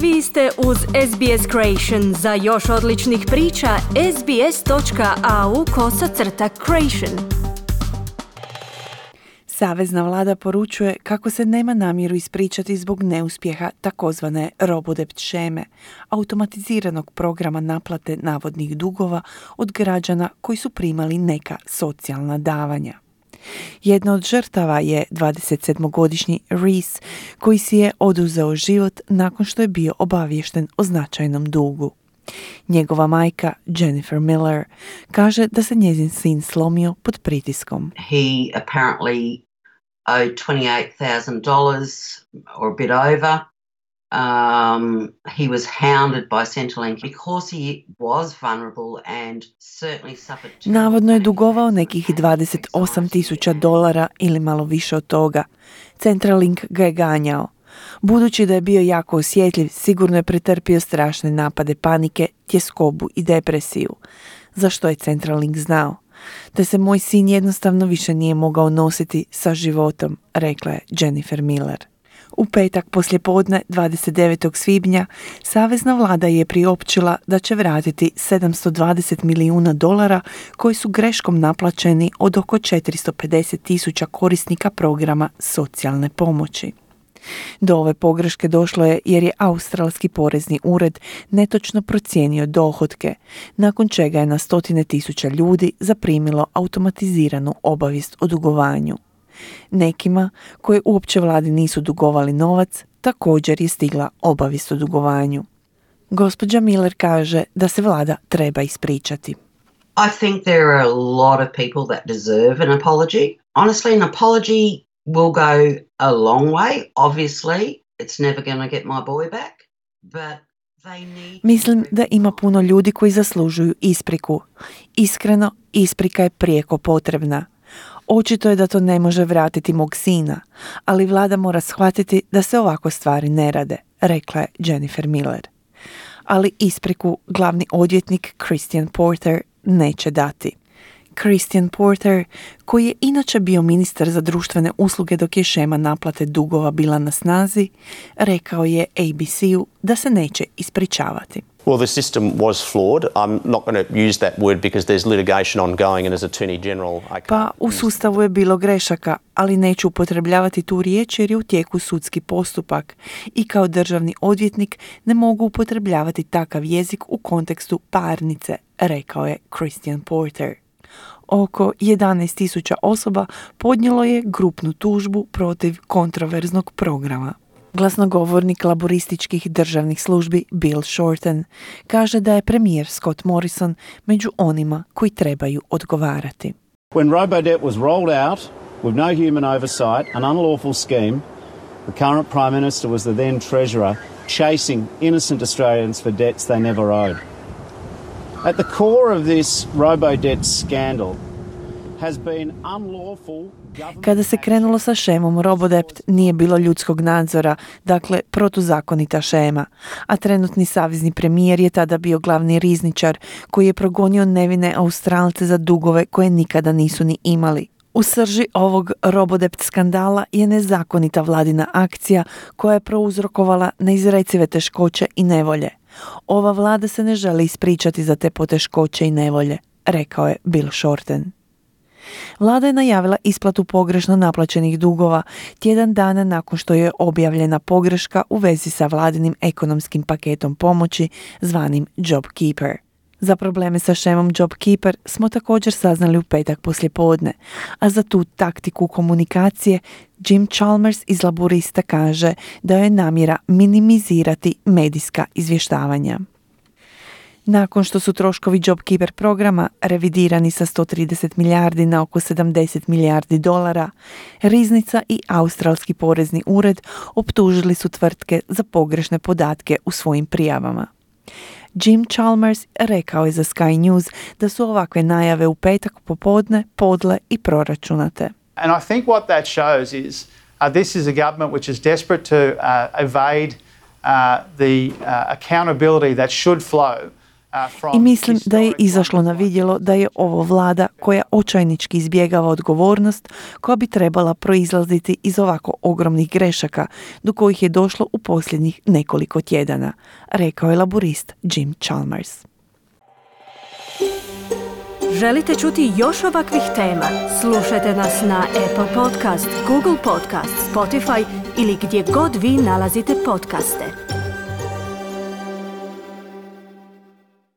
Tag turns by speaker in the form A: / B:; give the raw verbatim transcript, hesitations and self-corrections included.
A: Vi ste uz S B S Creation. Za još odličnih priča, sbs.au kosacrta creation.
B: Savezna vlada poručuje kako se nema namjeru ispričati zbog neuspjeha takozvane robodebt šeme, automatiziranog programa naplate navodnih dugova od građana koji su primali neka socijalna davanja. Jedna od žrtava je dvadesetsedmogodišnji Reese, koji si je oduzeo život nakon što je bio obaviješten o značajnom dugu. Njegova majka, Jennifer Miller, kaže da se njezin sin slomio pod pritiskom.
C: He apparently owed twenty-eight thousand dollars or a bit over. Um, he was hounded by Centrelink because he was vulnerable and certainly suffered.
B: Navodno je dugovao nekih dvadeset osam tisuća dolara ili malo više od toga. Centrelink ga je ganjao. Budući da je bio jako osjetljiv, sigurno je pretrpio strašne napade panike, tjeskobu i depresiju. Za što je Centrelink znao? Da se moj sin jednostavno više nije mogao nositi sa životom, rekla je Jennifer Miller. U petak poslijepodne dvadeset devetog svibnja savezna vlada je priopćila da će vratiti sedamsto dvadeset milijuna dolara koji su greškom naplaćeni od oko četiristo pedeset tisuća korisnika programa socijalne pomoći. Do ove pogreške došlo je jer je Australski porezni ured netočno procijenio dohotke, nakon čega je na stotine tisuća ljudi zaprimilo automatiziranu obavijest o dugovanju. Nekima, koji uopće vladi nisu dugovali novac, također je stigla obavijest o dugovanju. Gospođa Miller kaže da se vlada treba ispričati.
C: I think there are a lot of people that deserve an apology. Honestly, an apology will go a long way. Obviously, it's never going to get my boy back, but they need...
B: Mislim da ima puno ljudi koji zaslužuju ispriku. Iskreno, isprika je prijeko potrebna. Očito je da to ne može vratiti mog sina, ali vlada mora shvatiti da se ovako stvari ne rade, rekla je Jennifer Miller. Ali ispriku glavni odvjetnik Christian Porter neće dati. Christian Porter, koji je inače bio ministar za društvene usluge dok je šema naplate dugova bila na snazi, rekao je A B C-u da se neće ispričavati.
D: Well, the system was flawed. I'm not going to use that word because there's litigation ongoing and as Attorney General...
B: Pa u sustavu je bilo grešaka, ali neću upotrebljavati tu riječ jer je u tijeku sudski postupak i kao državni odvjetnik ne mogu upotrebljavati takav jezik u kontekstu parnice, rekao je Christian Porter. Oko jedanaest tisuća osoba podnijelo je grupnu tužbu protiv kontroverznog programa. Glasnogovornik laborističkih državnih službi Bill Shorten kaže da je premijer Scott Morrison među onima koji trebaju odgovarati.
E: When robo-debt was rolled out with no human oversight, an unlawful scheme, the current Prime Minister was the then Treasurer chasing innocent Australians for debts they never owed. At the core of this robo-debt scandal has been unlawful.
B: Kada se krenulo sa šemom robodebt nije bilo ljudskog nadzora, dakle protuzakonita šema, a trenutni savezni premijer je tada bio glavni rizničar koji je progonio nevine Australce za dugove koje nikada nisu ni imali. U srži ovog robodebt skandala je nezakonita vladina akcija koja je prouzrokovala neizrecive teškoće i nevolje. Ova vlada se ne želi ispričati za te poteškoće i nevolje, rekao je Bill Shorten. Vlada je najavila isplatu pogrešno naplaćenih dugova tjedan dana nakon što je objavljena pogreška u vezi sa vladinim ekonomskim paketom pomoći zvanim JobKeeper. Za probleme sa šemom JobKeeper smo također saznali u petak poslijepodne, a za tu taktiku komunikacije Jim Chalmers iz Laborista kaže da je namjera minimizirati medijska izvještavanja. Nakon što su troškovi JobKeeper programa revidirani sa sto trideset milijardi na oko sedamdeset milijardi dolara, Riznica i Australski porezni ured optužili su tvrtke za pogrešne podatke u svojim prijavama. Jim Chalmers rekao je za Sky News da su ovakve najave u petak popodne podle i proračunate.
F: And I think what that shows is uh, this is a government which is desperate to uh, evade uh, the uh, accountability that should flow
B: I mislim da je izašlo na vidjelo da je ovo vlada koja očajnički izbjegava odgovornost koja bi trebala proizlaziti iz ovako ogromnih grešaka do kojih je došlo u posljednjih nekoliko tjedana, rekao je laburist Jim Chalmers.
A: Želite čuti još ovakvih tema? Slušajte nas na Apple Podcast, Google Podcast, Spotify ili gdje god vi nalazite podcaste.